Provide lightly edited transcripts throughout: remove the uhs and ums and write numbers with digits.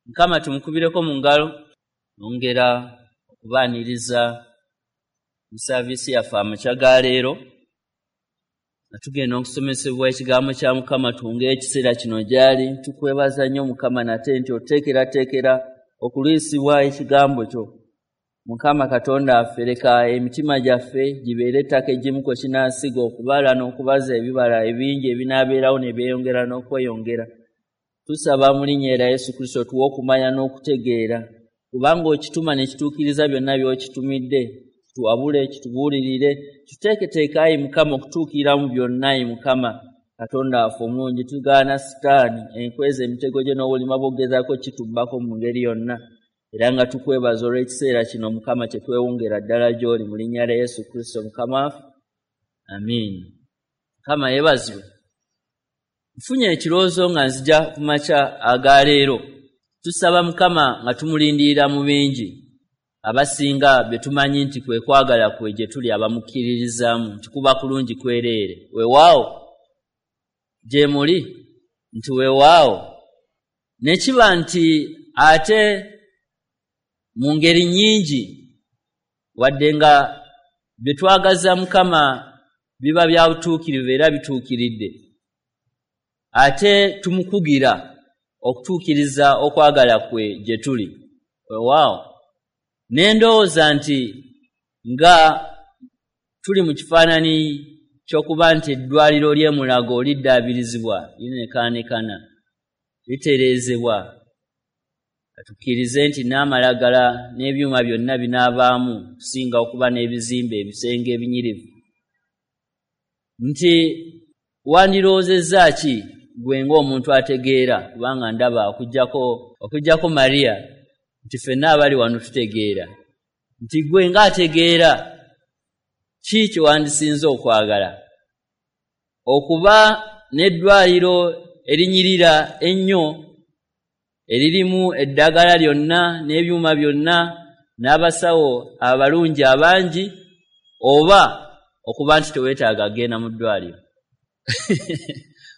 Mukama tumukubireko mu ngalo. Nongera okubaaniriza mu saaviisi yaffe amakya ga leero, nga tugenda okusomesebwa ekigambo kya Mukama. Twongere ekiseera kino gy'ali. Tukwebaza nnyo Mukama nate nti oteekerateekera okulwisibwa ekigambo kyo. Mukama Katonda waffe, leka emitima gyaffe gibeere ettaka eggimu kwe kinaasiga okubala n'okubaza ebibala ebingi ebinaabeerawo ne byeyongera n'okweyongera. Tusaba mu linnya erya Yesu Kristo tuwe okumanya n'okutegeera, kubanga okituma ne kituukiriza byonna by'okitumidde. Kituwabule, kitubuulirire, kituteeketeeke ayi Mukama okutuukirira mu byonna. Ayi Mukama Katonda waffe omulungi, tugaana Sitaani enkweza emitego gye n'obulima bw'okugezaako kitubbako mu ngeri yonna. Era nga tukwebaza olw'ekiseera kino Mukama kye twewongera ddala gy'oli mu linnya lya Yesu Kristo Mukama waffe. Amiina. Mukama yeebazibwe. Nfunye ekirowoozo nga nzija ku makya aga leero. Tusaba Mukama nga tumulindirira mu bingi. Abasinga bye tumanyi nti kwe kwagala kwe gye tuli abamukkiririzaamu nti kuba kulungi kwereere. Weewaawo gye muli nti weewaawo. Ne kiba nti ate mu ngeri nnyingi wadde nga bye twagaza Mukama biba bya butuukirivu era bituukiridde, ate tumukugira okutuukiriza okwagala kwe gye tuli. Weewaawo. Ne ndowooza nti nga tuli mu kifaananyi ky'okuba nti eddwaliro ly'e Mulago liddaabirizibwa, linekaanekana, litereezebwa, tukkirize nti n'amalagala n'ebyuma byonna binaabaamu okusinga okuba n'ebizimbe ebisenge ebinyirivu. Nti wandirowoozezza ki gwe ng'omuntu ategeera, kubanga ndaba okuggyako Maria nti ffenna abali wano tutegeera, nti gwe ng'ategeera ki kye wandisinze okwagala? Okuba n'eddwaliro erinyirira ennyo eririmu eddagala lyonna n'ebyuma byonna n'abasawo abalungi abangi, oba okuba nti teweetaaga kugenda mu ddwaliro?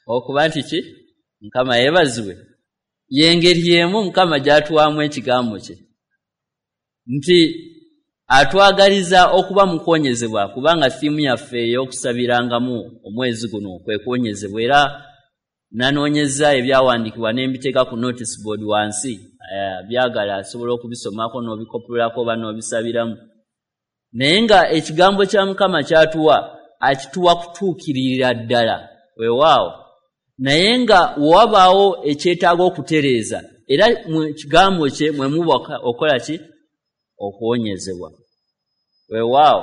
Okuba nti ki? Mukama yeebazibwe. Y'engeri y'emu Mukama gy'atuwaamu ekigambo kye, nti atwagaliza okuba mu kuwonyezebwa, kubanga ttiimu yaffe ey'okusabirangamu omwezi guno kwe kuwonyezebwa. Era nanoonyezza ebyawandiikibwa ne mbiteeka ku notice board wansi, byagala asobola okubisomako n'obikopolako oba n'obisabiramu. Naye nga ekigambo kya Mukama ky'atuwa akituwa kutuukirira ddala, weewaawo. Naye nga wabaawo ekyetaaga okutereeza, era mu kigambo kye mwe muba okukola ki? Okuwonyezebwa. Weewaawo.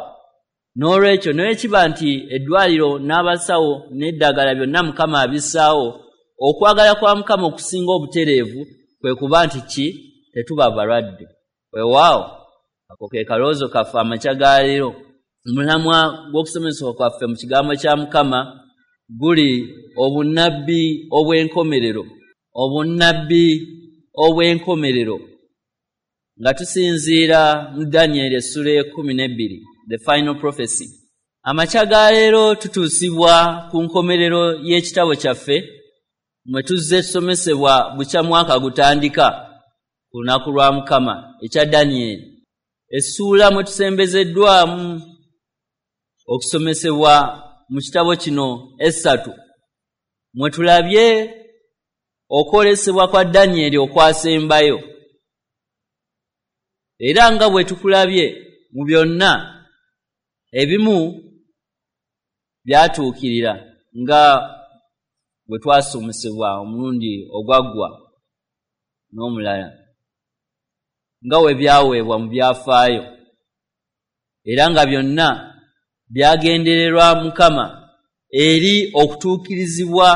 N'olwekyo naye kiba nti eddwaliro n'abasawo n'eddagala byonna Mukama abissaawo, okwagala kwa Mukama okusinga obutereevu kwe kuba nti ki? Tetuba balwadde. Weewaawo. Ako ke kalowoozo kaffe amakya ga leero. Omulamwa gw'okusomesebwa kwaffe mu kigambo kya Mukama guli obunnabbi obw'enkomerero. Obunnabbi obw'enkomerero. Nga tusinziira mu Danyeri essula 12, the final prophecy. Amakya ga leero tutuusibwa ku nkomerero y'ekitabo kyaffe mwe tuzze tusomesebwa bukya mwaka gutandika ku lunaku lwa Mukama ekya Danyeri. Essuula mwe tusembezeddwamu okusomesebwa mu kitabo kino 3 mwe tulabye okwolesebwa kwa Danyeri okwasembayo. Era nga bwe tukulabye mu byonna ebimu byatuukirira nga bwe twasomesebwa omulundi ogwaggwa n'omulala, nga we byaweebwa mu byafaayo, era nga byonna byagendererwa Mukama eri okutuukirizibwa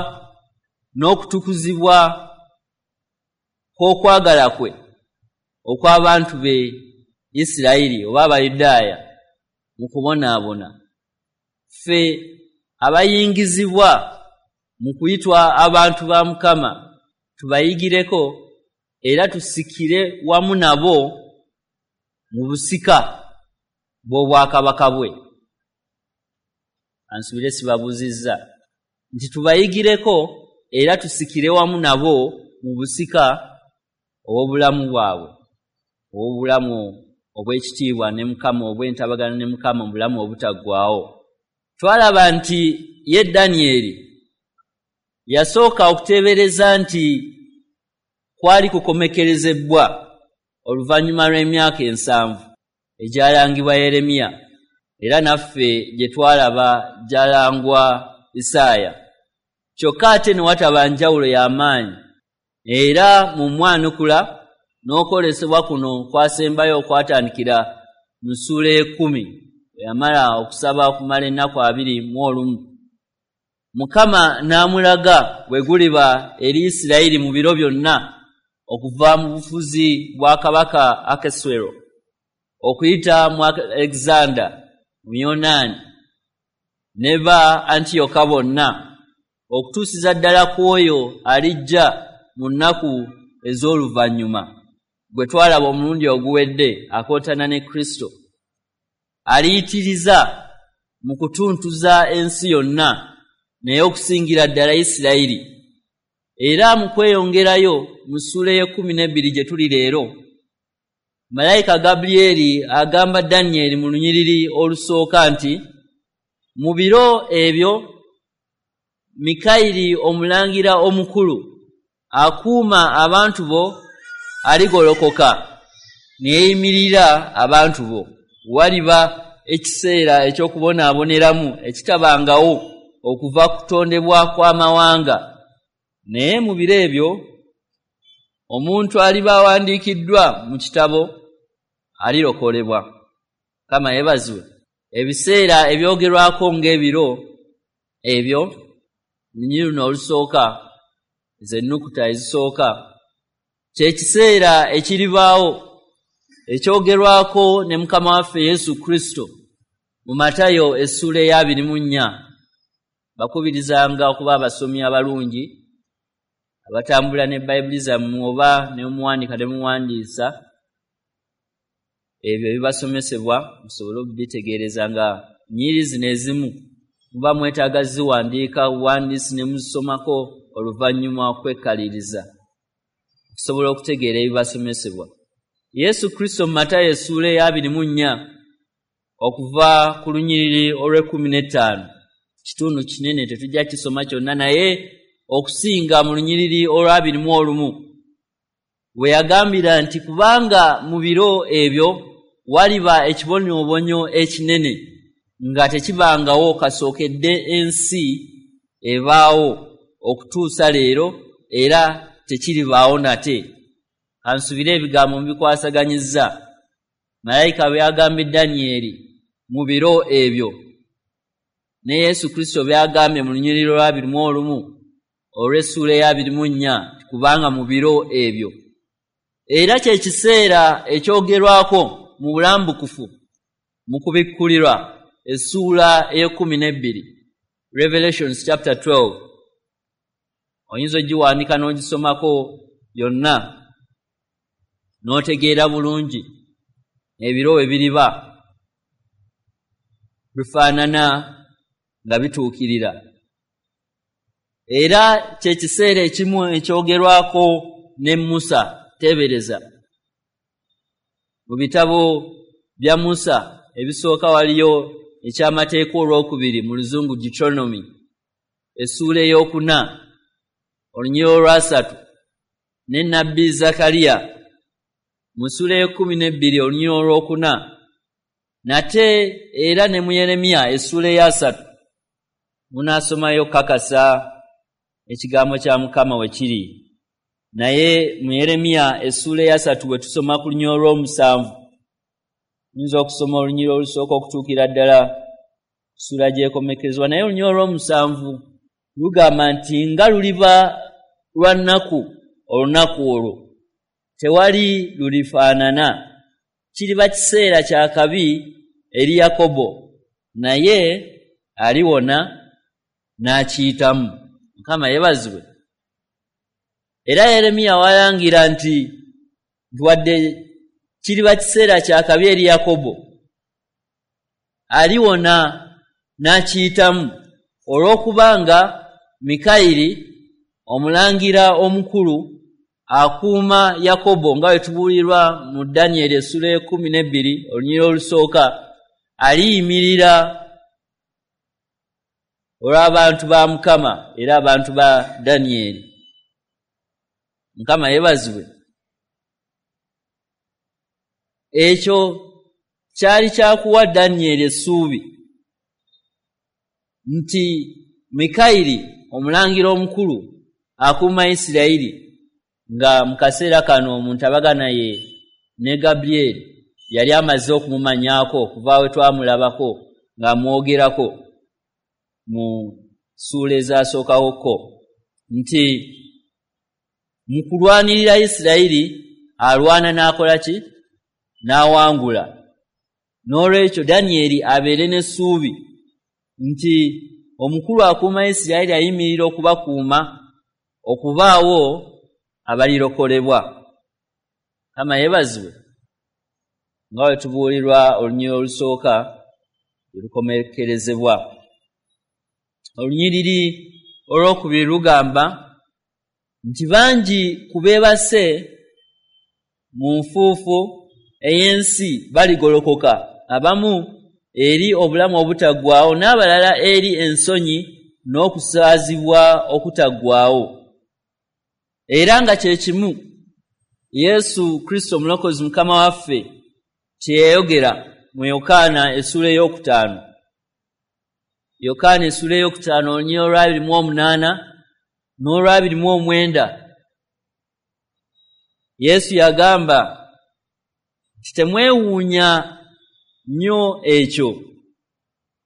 n'okutukuzibwa kw'okwagala kwe okw'abantu be Isirayiri oba Abayudaaya mu kubonaabona. Ffe abayingizibwa mu kuyitwa abantu ba Mukama tubayigireko era tusikire wamu nabo mu busika bw'obwakabaka bwe. Ansubire sibabuuzizza nti tubayigireko era tusikire wamu nabo mu busika ow'obulamu bwabwe, ow'obulamu obw'ekitiibwa ne Mukama, obw'entabagana ne Mukama mu bulamu obutaggwaawo. Twalaba nti ye Danyeri yasooka okuteebereza nti kwali kukomekerezebwa oluvannyuma lw'emyaka 70 egyalangibwa Yeremiya, era naffe gye twalaba gyalangwa Isaaya. Kyokka ate ne wataba njawulo y'amaanyi, era mu mwanukula n'okwolesebwa kuno kwasembayo okwatandikira mu ssuula 10, bwe yamala okusaba okumala ennaku 21. Mukama n'amulaga bwe guliba eri Isirayiri mu biro byonna okuva mu bufuzi bwa kabaka Akaswero okuyita mu Alexander Muyonaani ne ba Antiyoka bonna, okutuusiza ddala ku oyo alijja mu nnaku ez'oluvannyuma, gwe twalaba omulundi oguwedde akontana ne Kristo, aliyitiriza mu kutuntuza ensi yonna, naye okusingira ddala Isirayiri. Era mu kweyongerayo mu ssuula 12 gye tuli leero, malayika Gabulyeri agamba Danyeri mu lunyiriri olusooka nti mu biro ebyo Mikayiri omulangira omukulu akuuma abantu bo aligolokoka ne yeeyimirira abantu bo. Waliba ekiseera eky'okubonaaboneramu ekitabangawo okuva kutondebwa kw'amawanga, naye mu biro ebyo omuntu aliba awandiikiddwa mu kitabo alirokolebwa. Mukama yeebazibwe. Ebiseera ebyogerwako ng'ebiro ebyo, lunyiriri luno olusooka, ze nnukuta ezisooka, kye kiseera ekiribaawo ekyogerwako ne Mukama waffe Yesu Kristo mu Matayo essuula 24. Bakubirizanga okuba abasomi abalungi abatambula ne Bayibuli zammwe, oba ne muwandiika ne muwandiisa ebyo ebibasomesebwa, musobole okubitegeereza nga nnyiriri zino ezimu muba mwetaaga ziwandiika buwandiisi ne muzisomako oluvannyuma okwekaliriza okusobola okutegeera ebibasomesebwa. Yesu Kristo mu Matayo essuula 24 okuva ku lunyiriri olw'e15, kitundu kinene tetujja kisoma kyonna, naye okusinga mu lunyiriri olw'21 we yagambira nti kubanga mu biro ebyo waliba ekibonyoobonyo ekinene nga tekibangawo kasookedde ensi ebaawo okutuusa leero, era tekiribaawo nate. Kansubire ebigambo mubikwasaganyizza. Malayika bwe yagambye Danyeri mu biro ebyo, ne Yesu Kristo byagambye mu lunyiriri olw'21 olw'essuula 24, kubanga mu biro ebyo. Era kye kiseera ekyogerwako mu bulambukufu mu kubikkulirwa essuula 12, Revelations chapter 12. Oyinza ogiwandiika n'ogisomako yonna n'otegeera bulungi ebiro we biriba bifaanana nga bituukirira. Era kye kiseera ekimu ekyogerwako ne Musa. Teebereza mu bitabo bya Musa ebisooka waliyo ekyamateeka olwokubiri mu luzungu Deuteronomy essuula 4 olunyiriri olwasatu, ne nnabbi Zakariya mu ssuula 12 olunyiriri olwokuna, nate era ne mu Yeremiya essuula 3. Munaasomayo kakasa ekigambo kya Mukama we kiri. Naye mu Yeremiya essuula 3 we tusoma ku lunyiriri olw'omusanvu, tuyinza okusoma olunyiriri olusooka okutuukira ddala ssuula gy'ekomekerezebwa, naye olunyiriri olw'omusanvu lugamba nti nga luliba lwa nnaku olunaku olwo tewali lulifaanana, kiriba kiseera kya kabi eri Yakobo, naye aliwona n'akiyitamu. Mukama yeebazibwe. Era Yeremiya walangira nti wadde kiriba kiseera kya kabi eri Yakobo, aliwona n'akiyitamu, olw'okubanga Mikayiri omulangira omukulu akuuma Yakobo nga bwe tubuulirwa mu Danyeri essula 12 olunyiriri olusooka, aliyimirira olw'abantu ba Mukama era abantu ba Danyeri. Mukama yeebazibwe. Ekyo kyali kyakuwa Danyeri essuubi nti Mikayiri omulangira omukulu akuuma Isirayiri, nga mu kaseera kano mu ntabagana ye ne Gabriel yali amaze okumumanyaako okuva we twamulabako ng'amwogerako mu ssuula ezasookawoko, nti mu kulwanirira Isirayiri alwana n'akola ki? N'awangula. N'olwekyo Danyeri abeere n'essuubi nti omukulu akuuma Isirayiri ayimirira okubakuuma okubaawo abalirokolebwa. Mukama yeebazibwe. Nga bwe tubuulirwa olunyiriri olusooka lukomekerezebwa. Olunyiriri olwokubiri lugamba nti bangi ku beebase mu nfuufu ey'ensi baligolokoka, abamu eri obulamu obutaggwaawo n'abalala eri ensonyi n'okusaazibwa okutaggwaawo. Era nga kye kimu Yesu Kristo Omulokozi Mukama waffe kye yayogera mu Yokaana essula 5. Yokaana essula 5 olunyiriri olwa 28 n'olwa 29. Yesu yagamba nti temwewuunya nnyo ekyo,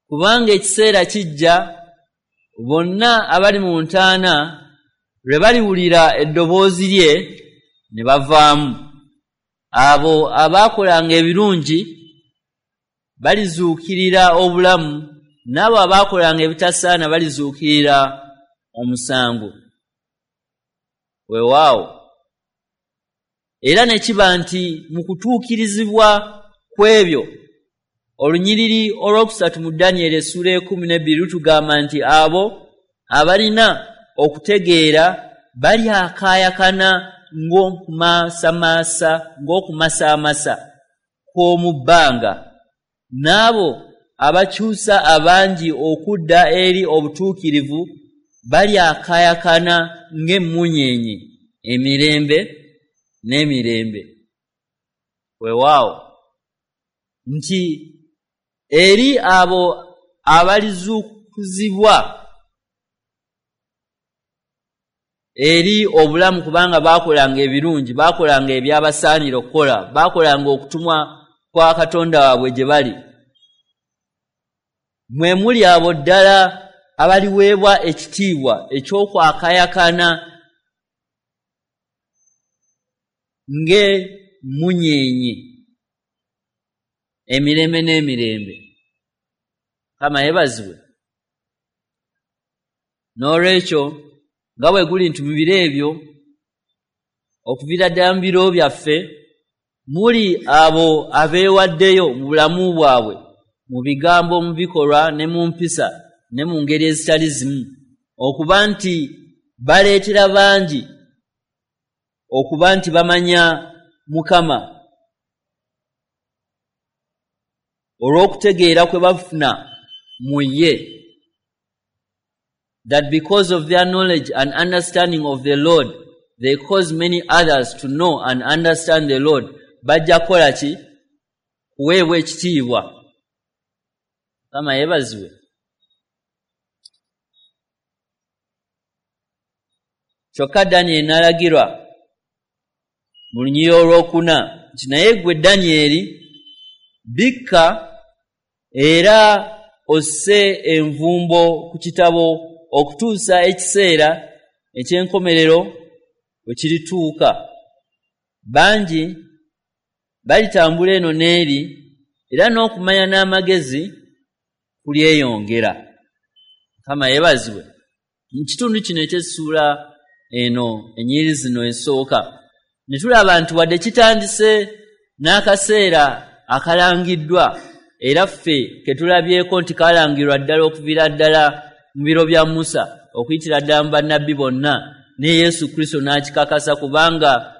kubanga ekiseera kijja bonna abali mu ntaana lwe baliwulira eddoboozi lye ne bavaamu. Abo abaakolanga ebirungi balizuukirira obulamu, n'abo abaakolanga ebitasaana balizuukirira omusango. Weewaawo. Era ne kiba nti mu kutuukirizibwa kw'ebyo, olunyiriri olwokusatu mu Danyeri essula 12 lutugamba nti abo abalina okutegeera balyakaayakana ng'okumasamasa kw'omu bbanga, n'abo abakyusa abangi okudda eri obutuukirivu balyakaayakana ng'emmunyeenye emirembe n'emirembe. Weewaawo nti eri abo abalizuukuzibwa eri obulamu, kubanga baakolanga ebirungi, baakolanga ebyabasaanira okukola, baakolanga okutumwa kwa Katonda waabwe gye bali, mwe muli abo ddala abaliweebwa ekitiibwa eky'okwakayakana ng'emmunyeenye emirembe n'emirembe. Mukama yeebazibwe. N'olwekyo nga bwe guli nti mu biro ebyo, okuviira ddala mu biro byaffe, muli abo abeewaddeyo mu bulamu bwabwe, mu bigambo, mu bikolwa ne mu mpisa ne mu ngeri ezitali zimu, okuba nti baleetera bangi okuba nti bamanya Mukama olw'okutegeera kwe bafuna mu ye. That because of their knowledge and understanding of the Lord, they cause many others to know and understand the Lord. Bajja kukola ki? Kuweebwa ekitiibwa. Mukama yeebazibwe. Kyokka Danyeri n'alagirwa mu lunyiriri olwokuna nti naye ggwe Danyeri bikka era osse envumbo ku kitabo okutuusa ekiseera eky'enkomerero bwe kirituuka. Bangi balitambula eno n'eri, era n'okumanya n'amagezi kulyeyongera. Mukama yeebazibwe. Mu kitundu kino eky'essuula eno, ennyiriri zino esooka, ne tulaba nti wadde kitandise n'akaseera akalangiddwa, era ffe ke tulabyeko nti kalangirwa ddala okuviira ddala mu biro bya Musa okuyitira ddala mu bannabbi bonna, ne Yesu Kristo n'akikakasa, kubanga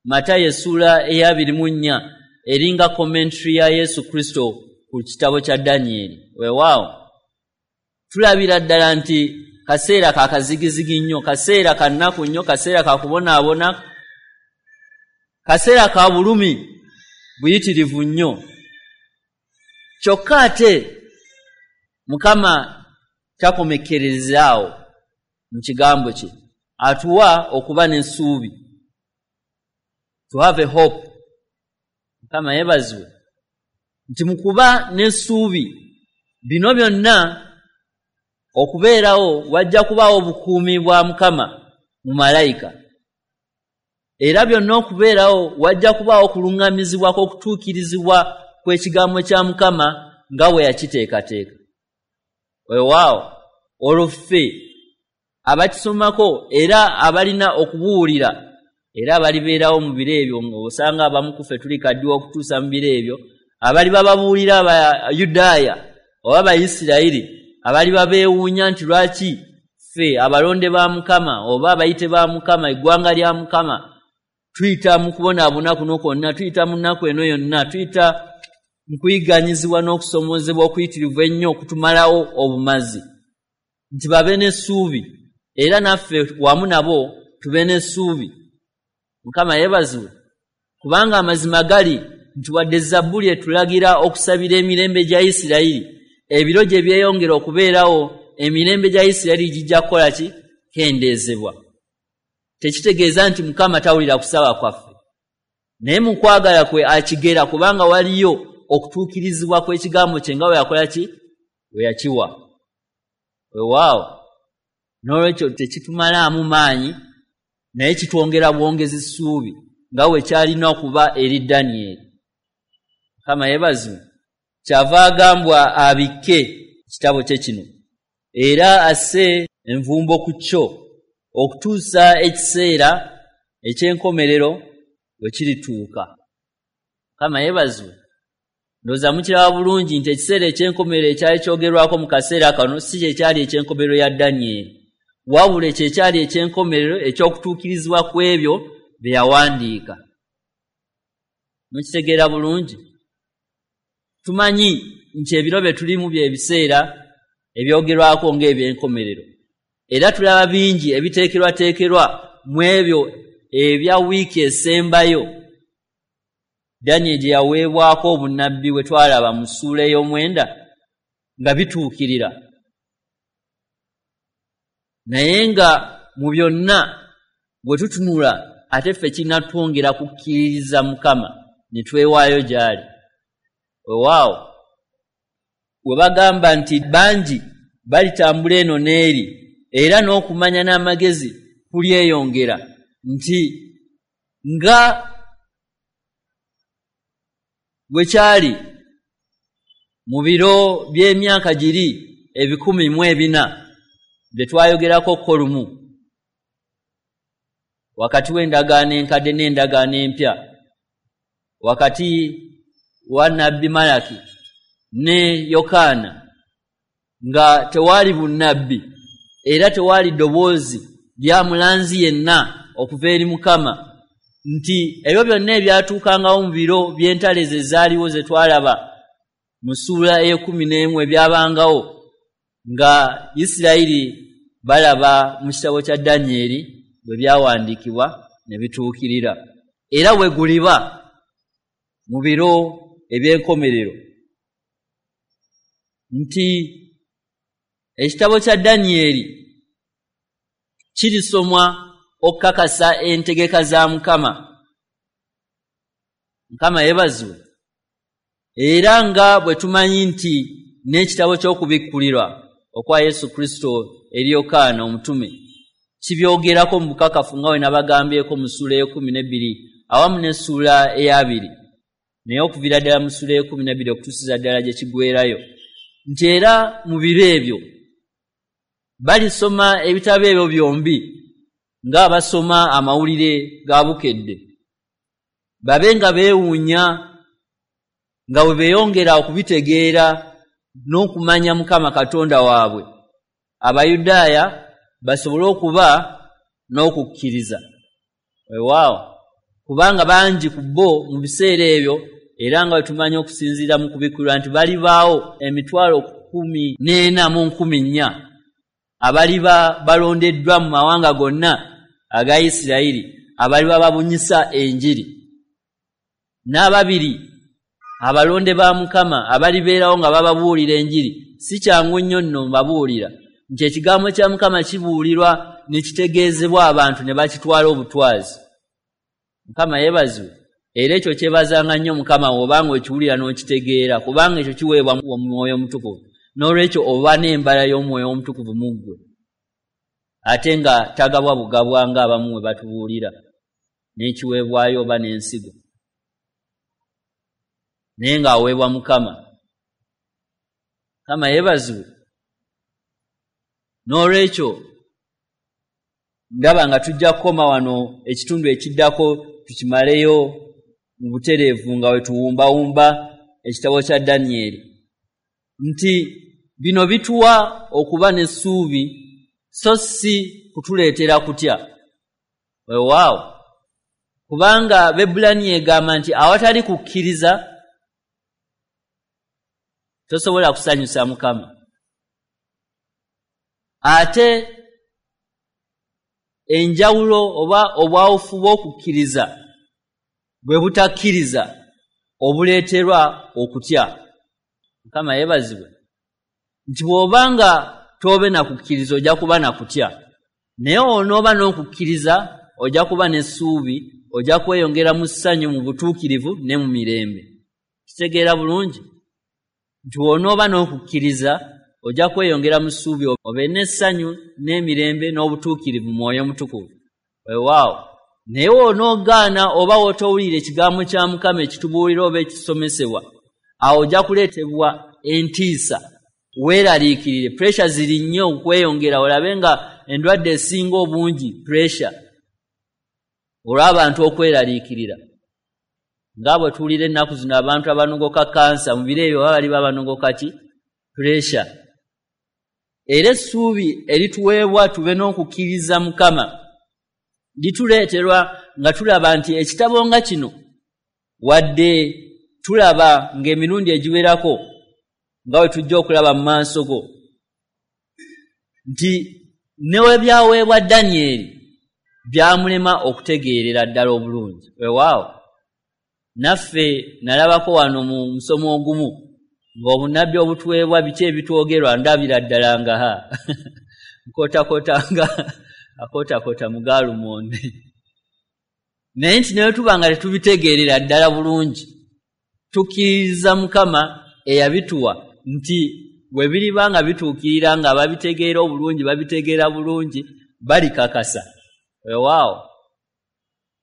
Matayo essuula eya 24 eringa commentary ya Yesu Kristo ku kitabo kya Danyeri. Weewaawo tulabira ddala nti kaseera ka kazigizigi nnyo, kaseera ka nnaku nnyo, kaseera ka kubonaabona, kaseera ka bulumi buyitirivu nnyo. Kyokka ate Mukama takomekkerezaawo mu kigambo kye, atuwa okuba n'essuubi, to have a hope. Mukama yeebazibwe nti mu kuba n'essuubi bino byonna okubeerawo wajja kubaawo obukuumi bwa Mukama mu malayika, era byonna okubeerawo wajja kubaawo okuluŋŋamizibwa kw'okutuukirizibwa kw'ekigambo kya Mukama nga bwe yakiteekateeka. Weewaawo olwo ffe abakisomako era abalina okubuwulira era abalibeerawo mu biro ebyo, ng'osanga abamu ku ffe tulikaddiwa okutuusa mu biro ebyo, abaliba babuulira Abayudaaya oba Abayisirayiri abaliba beewuunya nti lwaki ffe abalonde ba Mukama oba abayite ba Mukama, eggwanga lya Mukama, tuyita mu kubonaabona kuno kwonna, tuyita mu nnaku eno yonna, tuyita mu kuyigganyizibwa n'okusomoozebwa okuyitirivu ennyo okutumalawo obumazi, nti babe n'essuubi era naffe wamu nabo tube n'essuubi. Mukama yeebazibwe, kubanga amazima gali nti wadde Zabbuli etulagira okusabira emirembe gya Isirayiri, ebiro gye byeyongera okubeerawo emirembe gya Isirayiri gijja kukola ki? Kendeezebwa. Tekitegeeza nti Mukama tawulira kusaba kwaffe, naye mu kwagala kwe akigera, kubanga waliyo okutuukirizibwa kw'ekigambo kye nga bwe yakola ki? Bwe yakiwa. Weewaawo n'olwekyo tekitumalaamu maanyi, naye kitwongera bwongezi ssuubi nga bwe kyalina okuba eri Danyeri. Mukama yeebazibwe, kyava agambwa abikke ekitabo kye kino era asse envumbo ku kyo okutuusa ekiseera eky'enkomerero bwe kirituuka. Mukama yeebazibwe. Ndowooza mukiraba bulungi nti ekiseera eky'enkomerero ekyali kyogerwako mu kaseera kano si kye kyali eky'enkomerero ya Danyeri, wabula ekyo ekyali eky'enkomerero eky'okutuukirizibwa kw'ebyo bye yawandiika. Mukitegeera bulungi? Tumanyi nti ebiro bye tulimu bye biseera ebyogerwako ng'ebyenkomerero, era tulaba bingi ebiteekerwateekerwa mu ebyo ebya wiiki esembayo Danyeri gye yaweebwako obunnabbi bwe twalaba mu ssuula ey'omwenda nga bituukirira. Naye nga mu byonna bwe tutunula ate ffe kinnatwongera kukkiririza Mukama ne twewaayo gy'ali. Weewaawo we bagamba nti bangi balitambula eno n'eri, era n'okumanya n'amagezi kulyeyongera, nti nga bwe kyali mu biro by'emyaka giri 1400 bye twayogerako ko lumu wakati w'endagaano enkadde n'endagaano empya, wakati wa Nabbi Malaki ne Yokaana, nga tewaali bunnabbi era tewaali ddoboozi lya mulanzi yenna okuva eri Mukama, nti ebyo byonna ebyatuukangawo mu biro by'entalo ezo ezaaliwo ze twalaba mu ssuula ey'ekkumi n'emu, ebyabangawo nga Isirayiri balaba mu kitabo kya Danyeri bwe byawandiikibwa ne bituukirira, era bwe guliba mu biro eby'enkomerero, nti ekitabo kya Danyeri kirisomwa okukakasa entegeka za Mukama. Mukama yeebazibwe. Era nga bwe tumanyi nti n'ekitabo ky'okubikkulirwa okwa Yesu Kristo eri Yokaana omutume kibyogerako mu bukakafu, nga bwe nabagambyeko mu ssuula ey'ekkumi n'ebbiri awamu n'essuula ey'abiri, naye okuviira ddala mu ssuula ey'ekkumi n'ebbiri okutuusiza ddala gye kiggweerayo, nti era mu biro ebyo balisoma ebitabo ebyo byombi ng'abasoma amawulire ga Bukedde, babe nga beewuunya nga bwe beeyongera okubitegeera n'okumanya Mukama Katonda waabwe, Abayudaaya basobole okuba n'okukkiriza. Weewaawo, kubanga bangi ku bo mu biseera ebyo, era nga bwe tumanyi okusinziira mu kubikkulirwa nti balibaawo 14,000 abaliba balondeddwa mu mawanga gonna aga Isirayiri, abaliba babunyisa enjiri. N'ababiri abalonde ba Mukama abalibeerawo nga bababuulira enjiri. Si kyangu nnyo nno mbabuulira nti ekigambo kya Mukama kibuulirwa ne kitegeezebwa abantu ne bakitwala obutwazi. Mukama yeebazibwe. Era ekyo kyebazanga nnyo Mukama bw'obanga okiwulira n'okitegeera, kubanga ekyo kiweebwa Omwoyo Omutukuvu. N'olwekyo oba n'embala y'Omwoyo Omutukuvu mu ggwe, ate nga tagabwa bugabwa ng'abamu bwe batubuulira n'ekiweebwayo oba n'ensigo, naye ng'aweebwa Mukama. Mukama yeebazibwe. N'olwekyo ndaba nga tujja kukoma wano, ekitundu ekiddako tukimaleyo mu butereevu nga we tuwumbawumba ekitabo kya Danyeri, nti bino bituwa okuba n'essuubi so si kutuleetera kutya. Weewaawo, kubanga Bebbulaniya egamba nti awatali kukkiriza tosobola kusanyusa Mukama. Ate enjawulo oba obwawufu bw'okukkiriza bwe butakkiriza obuleeterwa okutya. Mukama yeebazibwe. Nti bw'obanga toobe na kukkiriza ojja kuba na kutya, naye onooba n'okukkiriza ojja kuba n'essuubi, ojja kweyongera mu ssanyu, mu butuukirivu ne mu mirembe. Kitegeera bulungi nti bw'onooba n'okukkiriza ojja kweyongera mu ssuubi, obe n'essanyu n'emirembe n'obutuukirivu mu Mwoyo Omutukuvu. Weewaawo, naye w'onoogaana oba w'otowulira ekigambo kya Mukama ekitubuulira oba ekisomesebwa, awo ojja kuleetebwa entiisa, weeraliikirire. Pressure ziri nnyo okweyongera, olabe nga endwadde esinga obungi pressure, olw'abantu okweraliikirira. Nga bwe tuwulira ennaku zino abantu abanogoka kansa, mu biro ebyo baba bali babanogoka ki? Pressure. Era essuubi erituweebwa tube n'okukkiriza Mukama lituleeterwa nga tulaba nti ekitabo nga kino, wadde tulaba ng'emirundi egiwerako nga bwe tujja okulaba mu maaso go, nti ne we byaweebwa Danyeri byamulema okutegeerera ddala obulungi. Weewaawo, naffe nalabako wano mu musomo ogumu ng'obunnabbi obutuweebwa biki ebitwogerwa, ndabira ddala nga ha nkootakoota nga akootakoota mu gaalumonde, naye nti naye tuba nga tetubitegeerera ddala bulungi, tukkiririza Mukama eyabituwa nti bwe biriba nga bituukirira nga babitegeera obulungi, babitegeera bulungi, balikakasa. Weewaawo,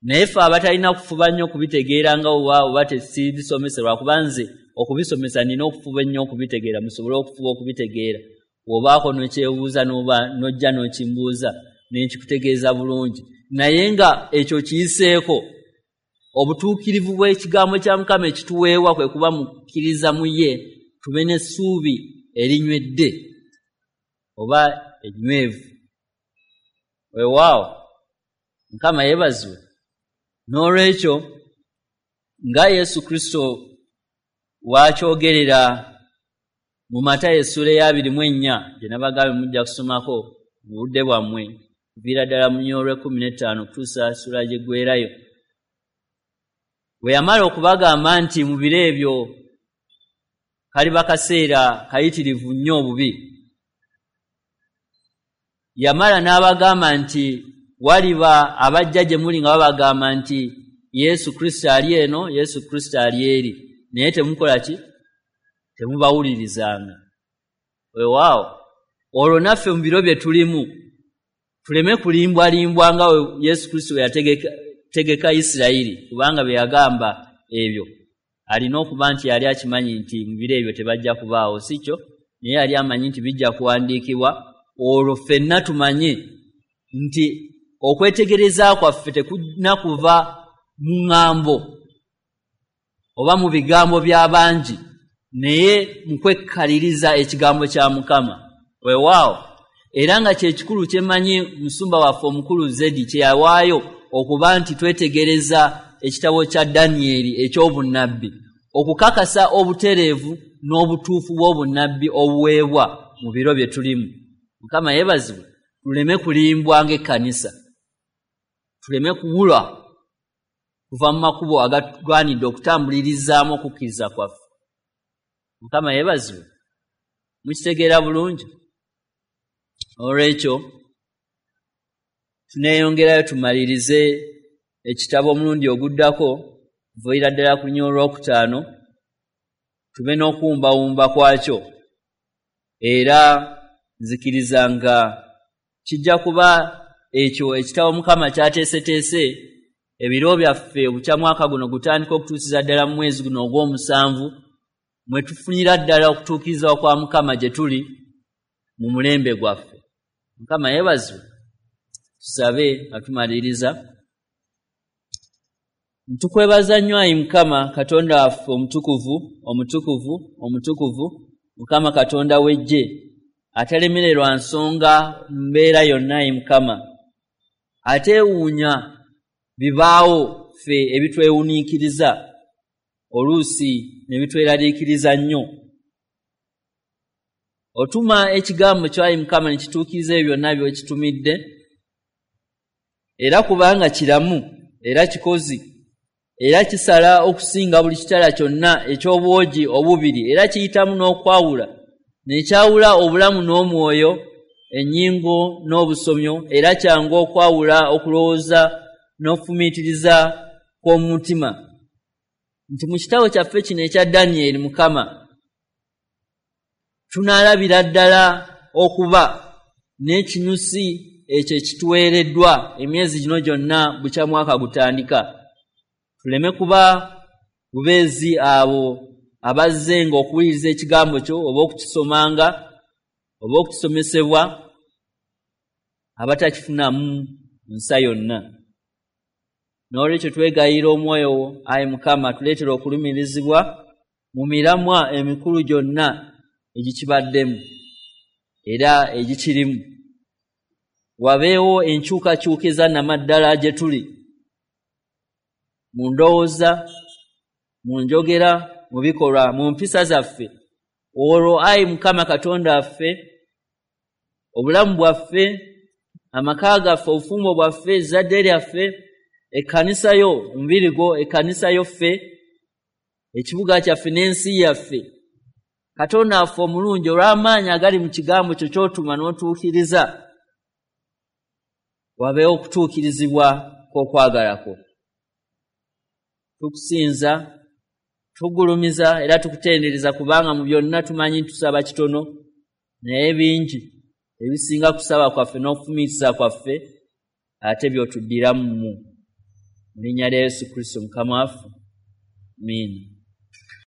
naye ffe abatalina kufuba nnyo okubitegeera nga oba tesibisomesa, lwakuba nze okubisomesa nina okufuba ennyo okubitegeera, musobole okufuba okubitegeera. Bw'obaako n'okyebuuza n'oba n'ojja n'okimbuuza ne nkikutegeeza bulungi, naye nga ekyo kiyiseeko obutuukirivu bw'ekigambo kya Mukama ekituweebwa kwe kuba mukkiriza mu ye, tube n'essuubi erinywedde oba ennywevu. Weewaawo, Mukama yeebazibwe. N'olwekyo nga Yesu Kristo waakyogerera mu Matayo essuula eya 24 gye nabagambye mujja kusomako mu budde bwammwe, kuviira ddala mu 15 okutuusa ssuula gyeggwerayo, bwe yamala okubagamba nti mu biro ebyo kaliba kaseera kayitirivu nnyo obubi, yamala n'abagamba nti waliba abajja gye muli nga babagamba nti Yesu Kristo ali eno, Yesu Kristo ali eri, naye temukola ki? Temubawulirizanga. Weewaawo, olwo naffe mu biro bye tulimu tuleme kulimbwalimbwa nga Yesu Kristo bwe yategeka Isirayiri, kubanga bye yagamba ebyo alina okuba nti yali akimanyi nti mu biro ebyo tebajja kubaawo, si kyo? Naye yali amanyi nti bijja kuwandiikibwa, olwo ffenna tumanye nti okwetegereza kwaffe tekulina kuva mu ŋŋambo oba mu bigambo by'abangi, naye mu kwekkaliriza ekigambo kya Mukama. Weewaawo, Era nga kyekikulu kyemmanyi musumba waffe omukulu Zedi kye yawaayo okuba nti twetegereza ekitabo kya Danyeri eky'obunnabbi, okukakasa obutereevu n'obutuufu bw'obunnabbi obuweebwa mu biro bye tulimu. Mukama yeebazibwe, tuleme kulimbwa ng'ekkanisa, tuleme kuwulwa kuva mu makubo agatugwanidde okutambulirizaamu okukkiriza kwaffe. Mukama yeebazibwe, mukitegeera bulungi. Olwekyo tuneeyongerayo tumalirize ekitabo omulundi oguddako, kuviira ddala ku nnyo olwokutaano, tube n'okuwumbawumba kwakyo. Era nzikiriza nga kijja kuba ekyo ekitabo Mukama kyateeseteese ebiro byaffe obukya mwaka guno gutandika okutuusiza ddala mu mwezi guno ogw'omusanvu, mwe tufunira ddala okutuukirizibwa kwa Mukama gye tuli mu mulembe gwaffe. Mukama yeebazibwe. Tusabe nga tumaliriza. Ntukwebaza nnyo ayi Mukama Katonda waffe omutukuvu, omutukuvu, omutukuvu, Mukama Katonda w'eggye, atalemererwa nsonga mbeera yonna ayi Mukama, ateewuunya bibaawo ffe ebitwewuniikiriza oluusi ne bitweraliikiriza nnyo. Otuma ekigambo kyo ayi Mukama ne kituukiriza ebyo byonna by'okitumidde, era kubanga kiramu era kikozi era kisala okusinga buli kitala kyonna eky'obwogi obubiri, era kiyitamu n'okwawula nekyawula obulamu n'omwoyo, ennyingo n'obusomyo, era kyangu okwawula okulowooza n'okufumiitiriza kw'omutima. Nti mu kitabo kyaffe kino ekya Danyeri Mukama tunaalabira ddala okuba n'ekinyusi ekyo ekituweereddwa emyezi gino gyonna bukya mwaka gutandika. Tuleme kuba bubeezi abo abazzenga okuwuliriza ekigambo kyo oba okukisomanga oba okukisomesebwa, abatakifunamu nsa yonna. N'olwekyo twegayirira omwoyo wo ayi Mukama, tuleetere okulumirizibwa mu miramwa emikulu gyonna egikibaddemu era egikirimu. Wabeewo enkyukakyuka eza nnamaddala gye tuli mu ndowooza, mu njogera, mu bikolwa, mu mpisa zaffe. Olwo ayi Mukama Katonda waffe, obulamu bwaffe, amaka gaffe, obufumbo bwaffe, ezzadde lyaffe, ekkanisa yo, omubiri gwo, ekkanisa yo ffe, ekibuga kyaffe n'ensi yaffe, Katonda waffe omulungi, olw'amaanyi agali mu kigambo kyo ky'otuma n'otuukiriza, wabeewo okutuukirizibwa kw'okwagala kwo. Tukusinza, tugulumiza era tukutendereza, kubanga mu byonna tumanyi tusaba kitono, naye bingi ebisinga kusaba kwaffe n'okufumiitiriza kwaffe ate by'otuddiramu mu linnya lya Yesu Kristo Mukama waffe. Amiina.